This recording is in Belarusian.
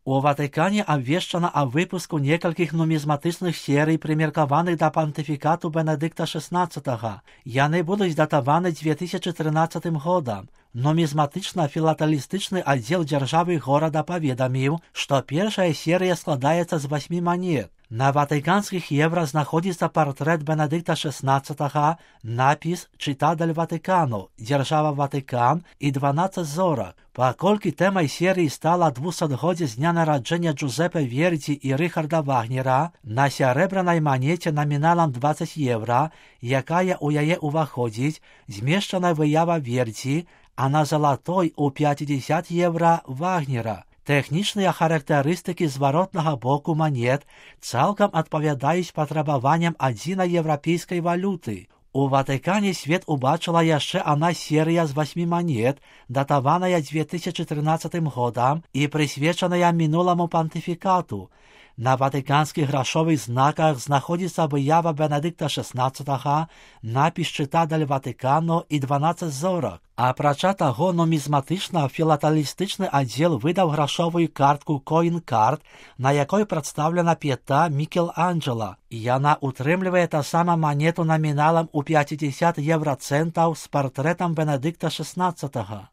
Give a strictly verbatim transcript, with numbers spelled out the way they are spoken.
У Ватыкане абвешчана аб выпуску некалькіх нумізматычных серый, прымеркаваных да пантыфікату Бенедыкта шэснаццатага. Яны будуць датаваны дзве тысячы трынаццатым годам. Нумізматычна-філаталістычны аддзел дзяржавы горада паведаміў, што першая серыя складаецца з васьмі манет. На ватыканскіх еўра знаходзіцца партрэт Бенедыкта шэснаццатага, напіс «Чита дель Ватыкану», «Дзяржава Ватыкан» і дванаццаць зорак. Паколькі тэмай серыі стала двухсотгоддзе з дня нараджэння Джузепе Вердзі і Рыхарда Вагнера, на сярэбранай манеце наміналам дваццаць еўра, якая ў яе ўваходзіць, змешчана выява Вердзі, а на залатой у пяцьдзесят еўра Вагнера. Тэхнічныя характарыстыкі зваротнага боку манет цалкам адпавядаюць патрабаванням адзінай еўрапейскай валюты. У Ватыкане свет убачыла яшчэ адна серыя з васьмі манет, датаваная дзве тысячы трынаццатым годам і прысвечаная мінуламу пантыфікату. На ватыканскіх грашовых знаках знаходзіцца выява Бенедыкта шэснаццатага, напіс «Чита дель Ватыкану» і дванаццаць зорак. Апрача таго, нумізматычна-філаталістычны аддзел выдаў грашовую картку «Коін-карт», на якой прадстаўлена п'ята Мікеланджела. Яна утрымлівае таксама манету наміналам у пяцьдзесят еўрацэнтаў з партрэтам Бенедыкта шэснаццатага.